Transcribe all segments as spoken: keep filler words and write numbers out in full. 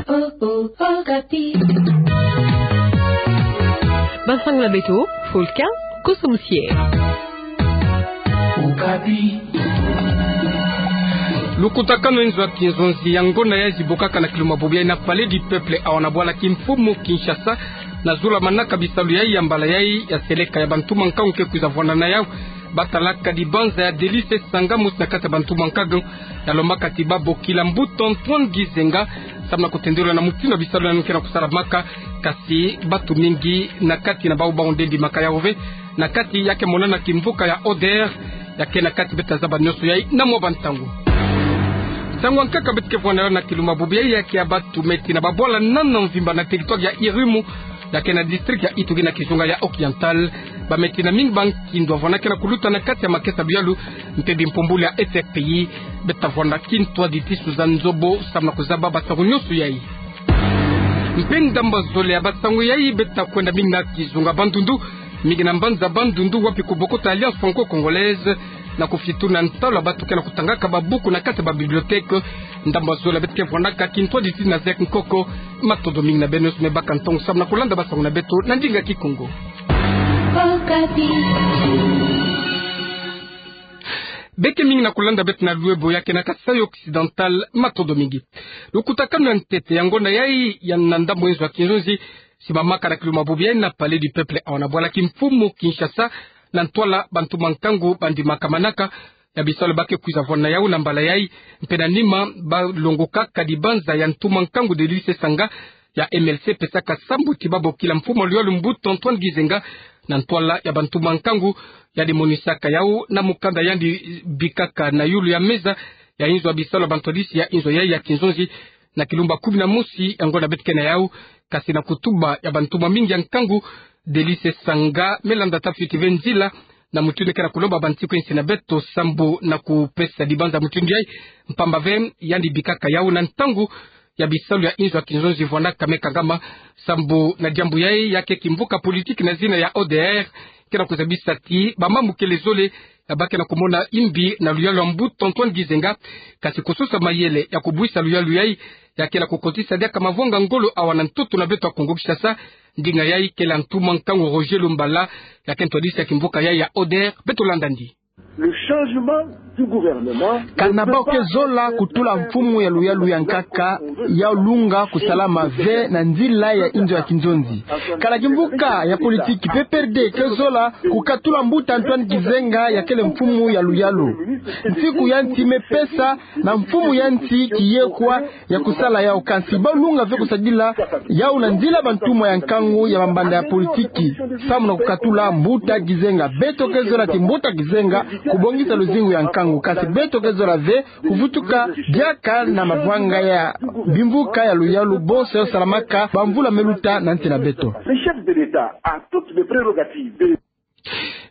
Oh, oh, Okapi. Bansangula beto, Fulka Koso Musié. Okapi. Lukutakanu ya inzo ya kinzonzi ya ngonda yayi zibokaka na kilumbu bubu yayi na Palais du Peuple awa na bwala kimfumu Kinshasa, na zulamanaka bisalu yayi ya mbala yayi ya seleka ya bantu mankangu ke kwiza vwanda na yawu. Batalaka dibanza ya Delice Sanga, mosi na kati ya bantu mankangu, ya lombaka ti babokila mbuta Antoine Gizenga, samu na kutendula na mutindu ya bisalu yandi ke na kusalamaka, kasi batu mingi na kati na bawu bawu nde ndimaka yawu ve, na kati ya ke monana kimvuka ya O D R, ya ke na kati. Beta zaba nyonso yayi na mwa bantangu. Nsangu ya nkaka beto ke vwanda na kilumbu bubu yayi ya ke ya batu meti na babwala nana mvimba na territoire ya Irumu, ya ke na district ya Ituri na kizunga ya Occidental. Bameti na mingi ba nkindu ya vwanda ke na kuluta na kati ya makesa luyalu mpe bimpumbulu ya S F P I. Beta vwanda kintwaditi su za nzobo samu na kuzaba bansangu nyonso yayi. Mpe ndambu ya zole ya bansangu yayi beta kwenda mingi na kizunga Bandundu, mingi na mbanza Bandundu, wapi kubokota Alliance Franco-Congolaise, na kufituna ntalu ya batu ke na kutangaka babuku na kati ya babibliothèque. Ndambu ya zole beto ke vwandaka kintwaditi na Z E C Nkoko. Matondo mingi na beno nyonso me baka ntangu samu na kulanda bansangu na beto na ndinga Kikongo. Beke mingi na kulanda beto na lwebo ya ke na Kasaï Occidental, matondo mingi. Lukutakanu ya ntete ya ngonda yayi ya na ndambu ya inzo ya kinzonzi, simamaka na kilumbu bubu yayi na Palais du Peuple awa na bwala kimfumu Kinshasa, na ntwala bantu mankangu bandimaka manaka ya bisalu ba ke kwiza vwanda na yawu na mbala yayi, mpe na nima balongokaka dibanza ya ntu mankangu Delice Sanga ya M L C, pesaka sambu ti babokila mfumu ya luyalu mbuta Antoine Gizenga, na ntwala ya bantu mankangu. Yandi monisaka yawu na mukanda yandi bikaka na yulu ya meza ya inzo ya bisalu ya bantwadisi ya inzo yayi ya kinzonzi, na kilumbu kumi na mosi ya ngonda beto ke na yawu, kasi na kutuba ya bantu mamingi ya nkangu, Delice Sanga me landa tata fiti ve nzila na mutindu ke na kulomba bansiku ya nsi na beto sambu na kupesa dibanza mutindu yayi, mpamba ve yandi bikaka yawu na ntangu ya bisalu ya inzo ya kinzonzi vwandaka me kangama. Sambu na diambu yayi, ya ke kimvuka politique na zina ya O D R ke na kuzabisa ti bamambu kele zole ya ba ke na kumona imbi na luyalu ya mbuta Antoine Gizenga, kasi kusosa mayele ya kubwisa luyalu yayi, ya ke na kukotisa diaka mavwanga ngolo awa na ntoto na beto ya Kongo Kinshasa. Ndinga yayi kele ya ntu mankangu Roger Lumbala, ya ke ntwadisi ya kimvuka yayi ya O D R. Beto landa ndi. Le changement du gouvernement. Kana bau ke zola kutula mfumu ya luyalu ya nkaka, ya lunga kusalama ve na nzila ya inzo ya kinzonzi. Kana kimvuka ya politique P P R D ke zola kukatula mbuta Antoine Gizenga ya kele mfumu ya luyalu. Nsiku ya nsi me pesa na mfumu ya nsi kiyekwa ya kusala yawu, kansi bau lunga ve kusadila yawu na nzila bantumwa ya nkangu ya mambanda ya politique, samu na kukatula mbuta Gizenga. Beto ke zola ti mbuta Gizenga kubongisa luzingu ya nkangu, kansi beto ke zola ve kuvutuka diaka na mavwanga ya bimvuka ya luyalu bonso yo salamaka bamvula me luta na nsi na beto. Le chef de l'État a toutes les prérogatives de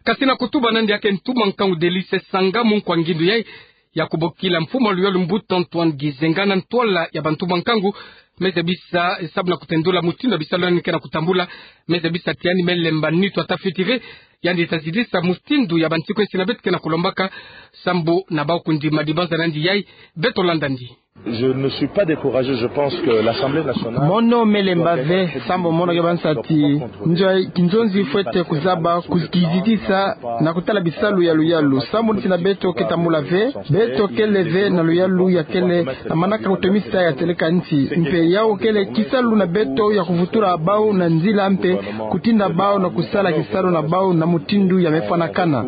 Kasi na kutuba nandi ya ke ntu mankangu Delice Sanga, munkwa ngindu yayi ya kubokila mfumu ya luyalu mbuta Antoine Gizenga na ntwala ya bantu mankangu, me zabisa, samu na kutendula mutindu ya bisalu yandi ke na kutambula, me zabisa ti yandi me lemba nitu ata fiti ve, yandi ta zidisa mutindu ya bansiku ya nsi na beto ke na kulombaka, sambu na bau kundima dibanza nandi yayi. Beto landa ndi. Je ne suis pas découragé, je pense que l'Assemblée nationale. Mono me lemba ve, sambu mono ke banisa ti inzo ya kinzonzi fwete kuzaba kuzikizitisa na kutala bisalu ya luyalu, sambu nsi na beto ke tambula ve, beto kele ve na luyalu ya kele na manaka kutomisa ya seleka nsi, mpe yawu kele kisalu na beto ya kuvutula bau na nzila mpe kutinda bau na kusala kisalu na bau na mutindu ya me fwanakana.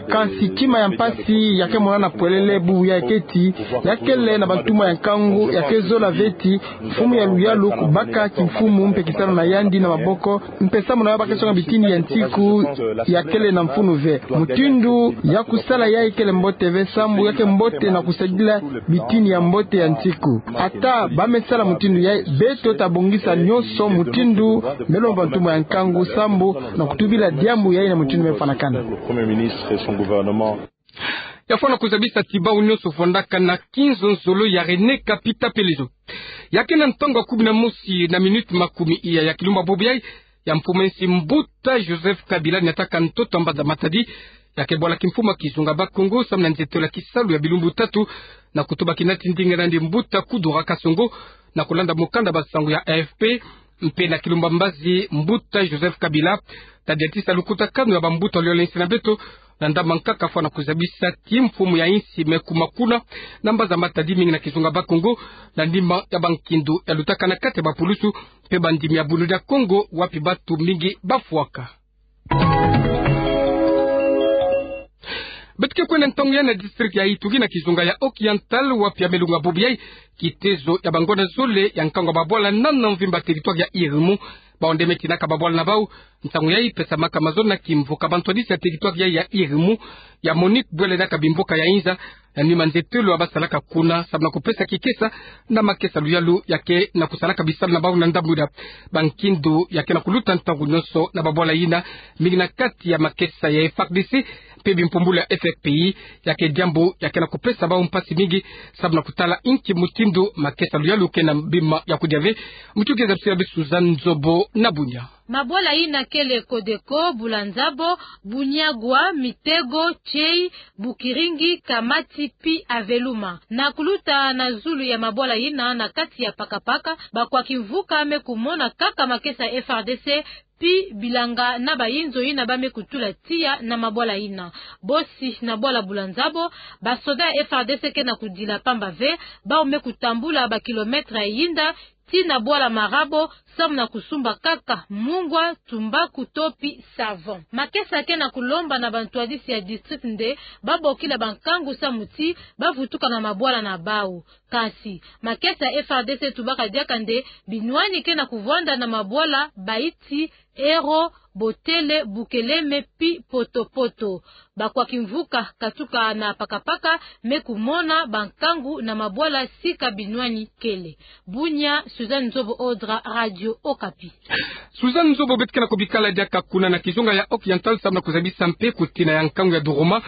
Kansi tima ya mpasi ya ke monana pwelele bubu yayi ke ti ya kele na bantumwa ya nkangu ya ke zola ve ti mfumu ya luyalu kubaka kimfumu mpe kisalu na yandi na maboko, mpe samu na yo ba ke songa bitini ya nsiku ya kele na mfunu ve. Mutindu ya kusala yayi kele mbote ve, sambu ya ke mbote na kusadila bitini ya mbote ya nsiku. Ata ba me sala mutindu yayi, beto ta bongisa nyonso mutindu me lomba bantumwa ya nkangu sambu na kutubila diambu yayi na mutindu me fwanakana. Le Premier ministre et son gouvernement. Ya fwana kuzabisa ti bau nyonso fwandaka na kinzonzolo ya René Kapi Tapelezo. Ya ke na ntangu ya kumi na mosi na minute makumi iya ya kilumbu bubu yayi, ya mfumu a nsi Mbuta Joseph Kabila ni yataka ntoto a mbanza Matadi, ya ke bwala kimfumu a kizunga Bas-Congo, samu na nzietelo ya kisalu ya bilumbu tatu, na kutuba kina tindinga nandi Mbuta Kudura Kasongo, na kulanda mukanda ba nsangu ya A F P, mpe na kilumba mbazi Mbuta Joseph Kabila, ta diatisa lukutakanu ya bambuta luyole nsi na beto, na ndambu nkaka fwana kuzabisa kimfumu ya nsi me kuma kuna, na mbanza Matadi mingi na kizunga Bas-Congo, na nima ya bankindu ya lutaka na kati ya bapulusu, mpe bandimi ya Bunu dia Kongo, wapi batu mingi bafwaka. Beto ke kwenda ntangu yayi na district ya Ituri na kizunga ya Occidental, wapi ya me lunga bubu yayi, kitezo ya bangonda zole ya nkangu ya babwala nana mvimba territoire ya Irumu, bawu nde me tinaka babwala na bawu. Ntangu yayi pesamaka mazono na kimvuka bantwadisi ya territoire yayi ya Irumu, ya Monique bwele na kabimvuka ya inza, na nima nzietelo ya basalaka kuna, samu na kupesa kikesa na makesa luyalu ya ke na kusalaka bisalu na bawu na ndambu ina. Bankindu ya ke na kuluta ntangu nyonso na babwala ina, mingi na kati ya makesa ya F A R D C, mpe bimpumbulu ya F P I, ya ke diambu ya ke na kupesa bawu mpasi mingi, samu na kutala inki mutindu makesa luyalu ke na bima ya kudia ve. Mutu ke zabisila beto Suzanne Nzobo na Bunia. Mabwala ina kele Kodeko, Bulanzabo, Bunyagwa, Mitego, Chei, Bukiringi, Kamati, pi Aveluma. Na kuluta na zulu ya mabwala ina na kati ya pakapaka, bakwa kimvuka me kumona kaka makesa ya F R D C, pi bilanga na bayinzo ina ba me kutula tiya na mabwala ina. Bosi na bwala Bulanzabo, basoda ya F R D C ke na kudila pamba ve, bawu me kutambula bakilometre ya yinda, tii na bwala Marabo, samu na kusumba kaka mungwa, tumbaku to pi savon. Makesa ke na kulomba na bantwadisi ya district nde babokila bankangu samu ti bavutuka na mabwala na bawu. Kansi makesa ya F R D C etubaka diaka nde binwani ke na kuvwanda na mabwala Baiti, Ero, Botele, Bukeleme pi Potopoto. Bakwa kimvuka katuka na pakapaka me kumona bankangu na mabwala sika binwani kele. Bunia, Suzanne Nzobo Odra, Radio Okapi. Suzanne Nzobo, beto ke na kubikala diaka kuna na kizunga ya Occidental samu na kuzabisa mpe kutina ya nkangu ya Duruma.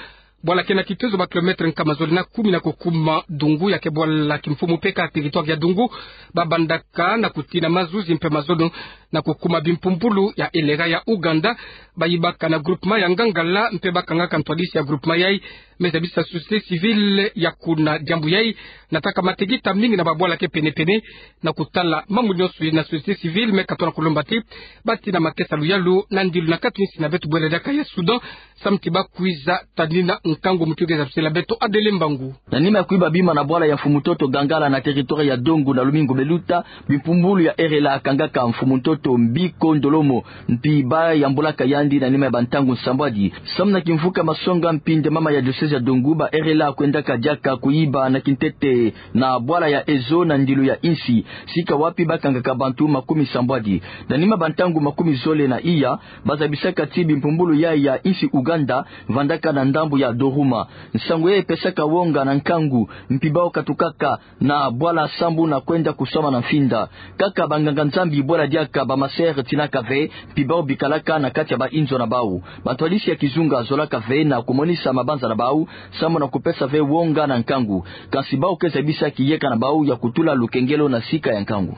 Bwala ke na kitezo bakilometre nkama zole na kumi na kukuma Dungu, ya ke bwala kimfumu peka territoire ya Dungu. Babandaka na kutina mazuzi mpe mazono na kukuma bimpumbulu ya eleka ya Ouganda. Bayibaka na groupement ya Ngangala mpe bakangaka ntwadisi ya groupement yayi, me zabisa société civile ya kuna. Diambu yayi nataka matekita mingi na babwala ke penepene. Na kutala mambu nyonso ina, société civile me katono kulomba ti batina makesa luyalu na ndilu na kati nsi na beto bwele diaka ya Soudan, samu ti bakwiza tanina nkangu. Mutu ke zabisila beto Adele Mbangu. Na nima ya kuyiba bima na bwala ya mfumu ntoto Ngangala na territoire ya Dungu na lumingu me luta, bimpumbulu ya R L A kangaka mfumu ntoto Mbiko Ndolomo, mpi bayambulaka yandi na nima ya bantangu nsambwadi. Samu na kimvuka masonga, mpi nde mama ya diocèse ya Dungu, ba R L A kwendaka diaka kuyiba na kintete na bwala ya Ezo na ndilu ya nsi, sika wapi bakangaka bantu makumi sambwadi. Na nima bantangu makumi zole na iya, bazabisaka ti bimpumbulu yayi ya nsi Ouganda vandaka na ndambu ya Duruma. Nsangu yayi epesaka wonga na nkangu, mpi bawu katukaka na bwala sambu na kwenda kuswama na mfinda. Kaka banganga-Nzambi bwele diaka, ba masere tinaka ve, mpi bawu bikalaka na kati ya bayinzo na bawu. Bantwadisi ya kizunga zolaka ve na kumonisa mabanza na bawu, samu na kupesa ve wonga na nkangu. Kansi bawu ke zabisa kiyeka na bawu ya kutula lukengelo na sika ya nkangu.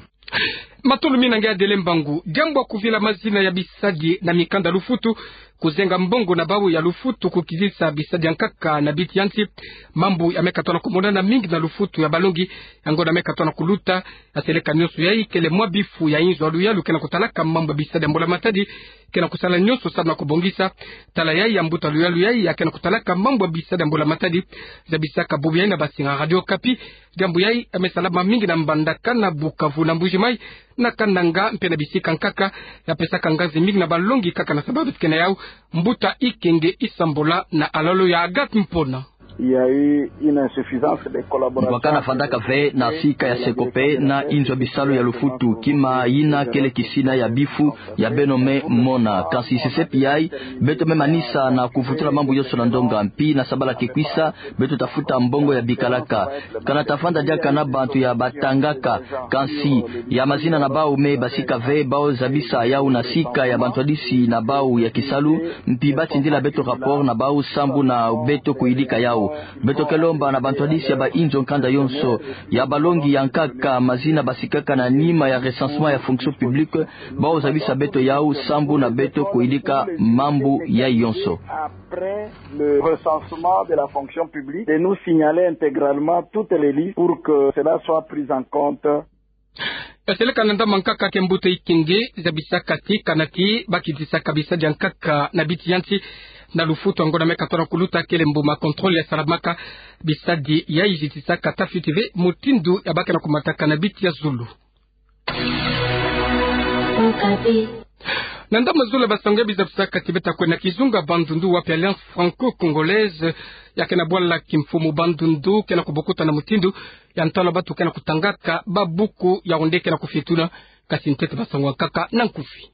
Matondo mingi na nge Adele Mbangu. Diambu ya kuvila mazina ya bisadi na mikanda lufutu, kuzenga mbongo na bawu ya lufutu, kukizisa bisadi ya nkaka na biti ya nsi, mambu ya me katono kumonana mingi na lufutu ya balongi, yango na me katono kuluta. Ya seleka nyonso yayi kele mwa bifu ya inzo ya luyalu ke na kutalaka mambu ya bisadi ya mbula matadi, ke na kusala nyonso samu na kubongisa. Tala yayi ya mbuta luyalu yayi ya ke na kutalaka mambu ya bisadi ya mbula matadi, zabisaka bubu yayi na basinga Radio Okapi. Diambu yayi ya me salama mingi na Mbandaka, na Bukavu, na Mbuji-Mayi, na Kananga mpe na bisika nkaka. Ya pesaka ngazi mingi na balongi kaka na sababu ti ke na yawu. Mbuta Ikenge Isambola na alalo ya Agathe Mpona. Il y a eu une insuffisance de collaboration. Mbwakana vandaka ve na sika ya Secope na inzo ya bisalu ya lufutu, kima yina kele kisina ya bifu ya beno me mona. Kansi sesepi yayi, beto me manisa na kuvutula mambu yonso na ndonga, mpi na sabala ke kwisa, beto tafuta mbongo ya bikalaka. Kana tavanda diaka na bantu ya batangaka, kansi ya mazina na bawu me basika ve, bawu zabisa yawu na sika ya bantwadisi na bawu ya kisalu, mpi batindila beto rapport na bawu sambu na beto kuyidika yawu. Beto ke lomba na bantwadisi ya bainzo nkanda yonso, ya balongi ya nkaka mazina basikaka na nima ya recensement ya fonction publique, bau zabisa beto yau sambu na beto kuyidika mambu yai yonso. Après le recensement de la fonction publique, de nous signaler intégralement toutes les listes pour que cela soit pris en compte. Kaseleka na ndambu ya nkaka ke mbuta ikenge, zabisaka ti kana ki bakitisaka bisadi ya nkaka na biti ya nsi na lufutu ya ngonda meka tona kuluta kele mbuma contrôle ya salamaka bisadi yai zitisaka ta fioti ve mutindu ya ba ke na kumataka na biti ya zulu. Na ndambu ya zulu ya basango ya bizabisaka ti beta kwenda kizunga Bandundu wapi Alliance Franco-Congolaise ya ke na bwala kimfumu Bandundu ke na kubokuta na mutindu ya ntalu ya batu ke na kutangaka babuku ya onde ke na kufietuna. Kasi ntete basango ya nkaka na nkufi.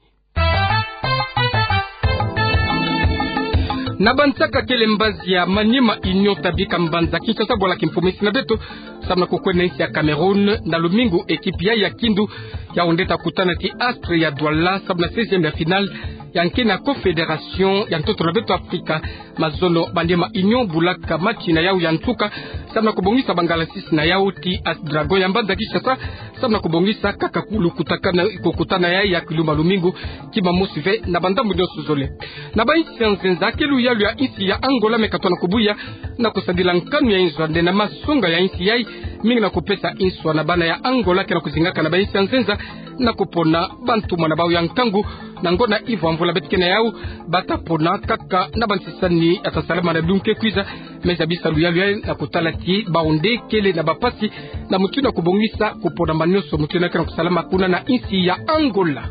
Na bansaka kele mbazi ya Maniema Union ta bika mbanza Kinshasa bwala kimfumu insi na beto, samu na kukwenda insi ya Cameroun na lumingu, ekipi yai ya kindu ya onde ta kutana ti Astre ya Douala samu na seizième ya finale ya nki na Confédération ya ntoto na beto Afrika. Mazono Maniema Union bulaka match na yau ya nsuka samu na kubongisa bangalasisi na yau ti As Dragon ya mbanza Kinshasa samu na kubongisa kaka kulu kutakana, kukutana yai ya kilumbu ya lumingu, kima mosi ve na bandambu nyonso zole. Na bainsi ya nzenza, ke luyalu ya insi ya Angola meka tona kubuya na kusadila nkanu ya inzo ande na masonga ya insi yai, mingi na kupesa inswa na bana ya Angola ke na kuzingaka na bainsi ya nzenza na kupona bantu mwana bau ya nkangu. Na ngonda ivo ya mvula beto ke na yau, bata pona kaka na bansisani ya ta salama na dungu ke kwiza. Me zabisa luyalu yai na kutala ti bau nde kele na bapasi na mutindu ya kubongisa kupona manyonso mutindu ya ke na kusalama kuna na insi ya Angola.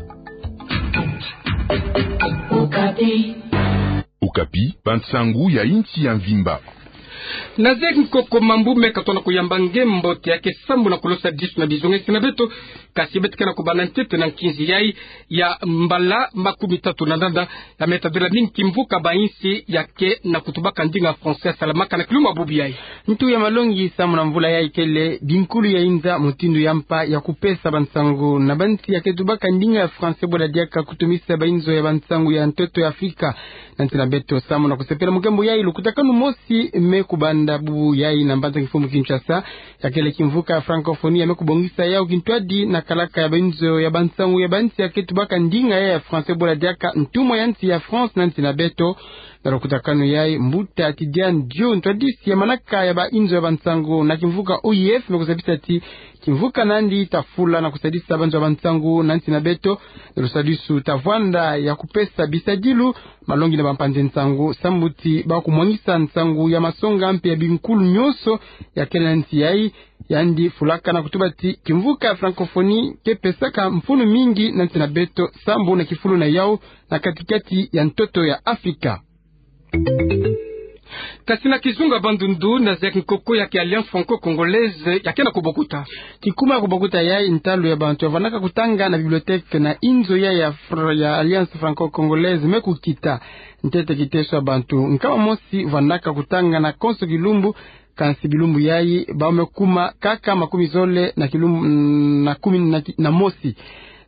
Okapi, bansangu ya insi ya mvimba. Na zeki nkoko mambu meka tona kuyamba ngembo te ya ke sambu na kulosa disu na bizonga insi na beto, kasi beto ke na kubanda ntete na nkinzi yai ya mbala makumi tatu na ndanda ya meta dola mingi kimvuka bainsi ya ke na kutubaka ndinga français ya salamaka na kilumbu ya bubu yai. Ntu ya malongi samu na mvula yai kele binkulu ya inza mutindu ya mpa ya kupesa bansangu na bansi ya ke tubaka ndinga ya français bwala diaka kutumisa bainzo ya bansangu ya ntoto ya Afrika. Na nsi na beto samu na kusepela mu ngembo yai, lukutakanu mosi me kubanda bubu yai na mbanza kimfumu Kinshasa, ya kele kimvuka ya francophonie ya me kubongisa yau kintwadi na kalaka ya bainzo ya bansangu ya bansi ya ke tubaka ndinga yai ya français bwala diaka ntumwa ya nsi ya France na nsi na beto. Na lukutakanu yai, mbuta Tidiane Dio, ntwadisi ya manaka ya bainzo ya bansangu na kimvuka O I F, me kuzabisa ti kimvuka nandi ta fula na kusadisa banzo ya bansangu na nsi na beto. Na lusadisu ta vwanda ya kupesa bisadilu, malongi na bampanzi nsangu, sambu ti ba kumwangisa nsangu ya masonga mpe ya binkulu nyonso ya kele na nsi yai. Yandi fulaka na kutuba ti kimvuka ya francophonie ke pesaka mfunu mingi na nsi na beto, sambu na kifulu na yau na katikati ya ntoto ya Afrika. Kasi na kizunga Bandundu, na zeki nkoko ya ki Alliance Franco-Congolaise ya ke na kubokuta. Kikuma ya kubokuta yai, ntalu ya bantu ya vandaka kutanga na bibliothèque na inzo yai ya fr-, ya Alliance Franco-Congolaise me kukita. Ntete kiteso ya bantu nkama mosi vandaka kutanga na konso kilumbu, kansi bilumbu yai bau me kuma kaka makumi zole na kilumbu, mm, na kumi na ki-, na mosi.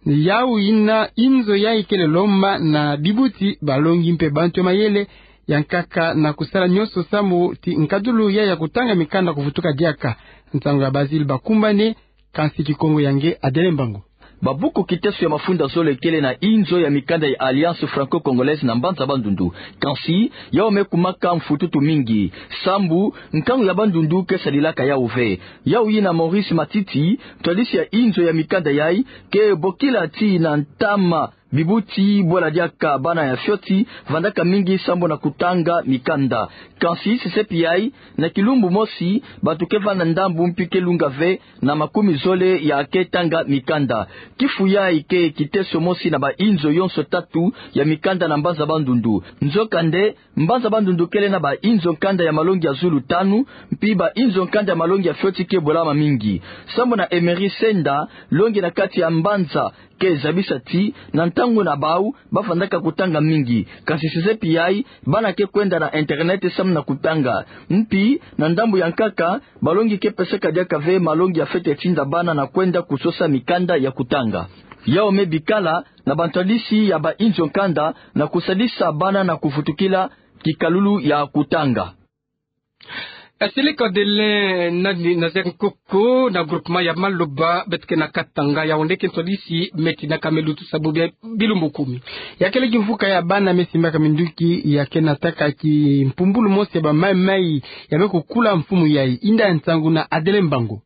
Yau yina inzo yai kele lomba na bibuti, balongi mpe bantu ya mayele ya nkaka na kusala nyonso sambu ti nkadulu yai ya kutanga mikanda kuvutuka diaka. Nsangu ya Basile Bakumbane, kansi Kikongo ya nge Adele Mbangu. Babuku kiteso ya mafunda zole kele na inzo ya mikanda ya Alliance Franco-Congolaise na mbanza Bandundu. Kansi yau me kumaka mfututu mingi, sambu nkangu ya Bandundu ke sadilaka yau ve. Yau yina Maurice Matiti, ntwadisi ya inzo ya mikanda yai, ke bokila ti na ntama bibuti bwala diaka bana ya fioti vandaka mingi sambu na kutanga mikanda. Kansi sesepi yai, na kilumbu mosi bantu ke vanda ndambu mpi ke lunga ve na makumi zole ya ke tanga mikanda. Kifu yai ke kiteso mosi na bainzo yonso tatu ya mikanda na mbanza Bandundu. Nzokande, mbanza Bandundu kele na bainzo nkanda ya malongi ya zulu tanu, mpi bainzo nkanda ya malongi ya fioti ke bolama mingi. Sambu na Emery Senda, longi na kati ya mbanza, ke zabisa ti na ntangu na bau ba vandaka kutanga mingi. Kansi sesepi yai, bana ke kwenda na internet sambu na kutanga. Mpi na ndambu ya nkaka, balongi ke pesaka diaka ve malongi ya fete tinda bana na kwenda kusosa mikanda ya kutanga. Yau me bikala na bantwadisi ya bainzo nkanda na kusadisa bana na kuvutukila kikalulu ya kutanga. Aseleka Adelin, na, na Nazaire Nkoko, na groupement ya Maloba, beto ke na Katanga, Yaoundé, ke ntwadisi me tinaka me lutusa bubu ya bilumbu kumi. Ya kele kimvuka ya bana me simbaka minduki, ya ke nataka kimpumbulu mosi ya bamaimai, ya me kukula mfumu yayi, inda nsangu na Adelin Mbangu.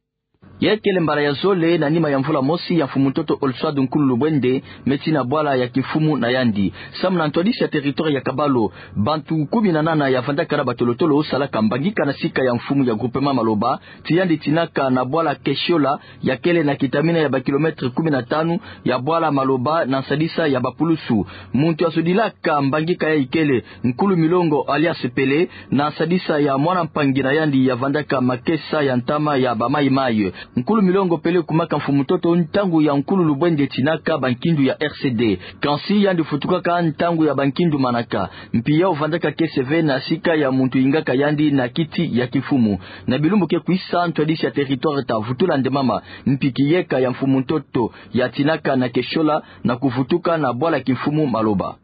Ya kele mbala ya zole na nima ya mvula mosi ya mfumu ntoto Olswad Nkulu Lubwende, me ti na bwala ya kimfumu na yandi. Samu na ntwadisi ya territoire ya Kabalo, bantu kumi na nana ya vandaka na batolotolo salaka mbangika na sika ya mfumu ya groupement Maloba, ti yandi tinaka na bwala Kesiola, ya kele na kitamina ya ba kilomètre kumi na tanu ya bwala Maloba na nsadisa ya bapulusu. Muntu ya sodilaka mbangika yayi kele Nkulu Milongo alias Pele, na nsadisa ya mwana mpangi na yandi ya vandaka makesa ya ntama ya bamaimai. Nkulu Milongo Pele kumaka mfumu ntoto ntangu ya Nkulu Lubwende tinaka bankindu ya R C D. Kansi yandi futukaka ntangu ya bankindu manaka. Mpi yau vandaka kiese ve na sika ya muntu ingaka yandi na kiti ya kimfumu. Na bilumbu ke kwisa, ntwadisi ya territoire ta vutula ndemama mpi kiyeka ya mfumu ntoto ya tinaka na Kesiola na kuvutuka na bwala kimfumu Maloba.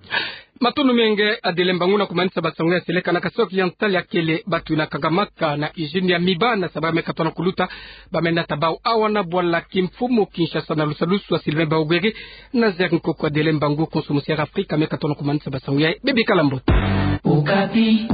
Matondo mingi Adelin Mbangu na kumanisa basango ya seleka. Na Kasaï Oriental ya kele batu na kangamaka na usine ya Miba na sabala me katona kuluta. Ba me nata bau awa na bwala kimfumu Kinshasa na lusalusu ya Sylvain Baogere. Nazaire Nkoko, Adelin Mbangu, Konso Musi ya Afrika me katona kumanisa basango yayi. Bebikala mbote. Okapi.